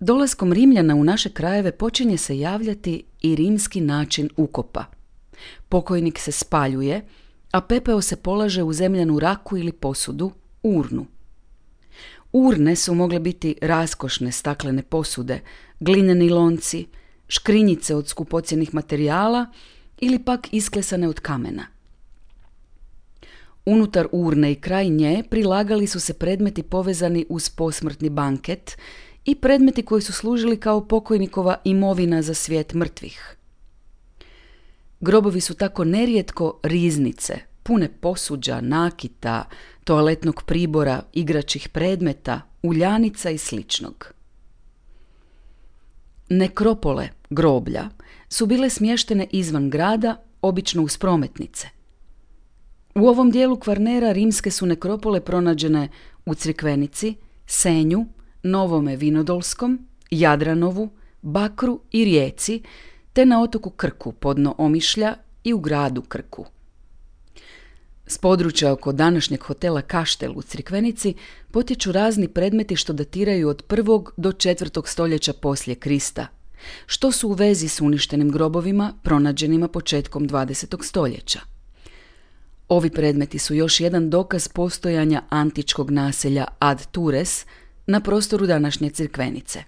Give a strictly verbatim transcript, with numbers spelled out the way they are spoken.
Dolaskom Rimljana u naše krajeve počinje se javljati i rimski način ukopa. Pokojnik se spaljuje, a pepeo se polaže u zemljanu raku ili posudu, urnu. Urne su mogle biti raskošne staklene posude, glineni lonci, škrinjice od skupocjenih materijala ili pak isklesane od kamena. Unutar urne i kraj nje prilagali su se predmeti povezani uz posmrtni banket i predmeti koji su služili kao pokojnikova imovina za svijet mrtvih. Grobovi su tako nerijetko riznice, pune posuđa, nakita, toaletnog pribora, igračih predmeta, uljanica i sličnog. Nekropole, groblja, su bile smještene izvan grada, obično uz prometnice. U ovom dijelu Kvarnera rimske su nekropole pronađene u Crikvenici, Senju, Novome Vinodolskom, Jadranovu, Bakru i Rijeci, te na otoku Krku podno Omišlja i u gradu Krku. S područja oko današnjeg hotela Kaštel u Crikvenici potječu razni predmeti što datiraju od prvog do četvrtog stoljeća poslije Krista, što su u vezi s uništenim grobovima pronađenima početkom dvadesetog stoljeća. Ovi predmeti su još jedan dokaz postojanja antičkog naselja Ad Tures na prostoru današnje Crikvenice.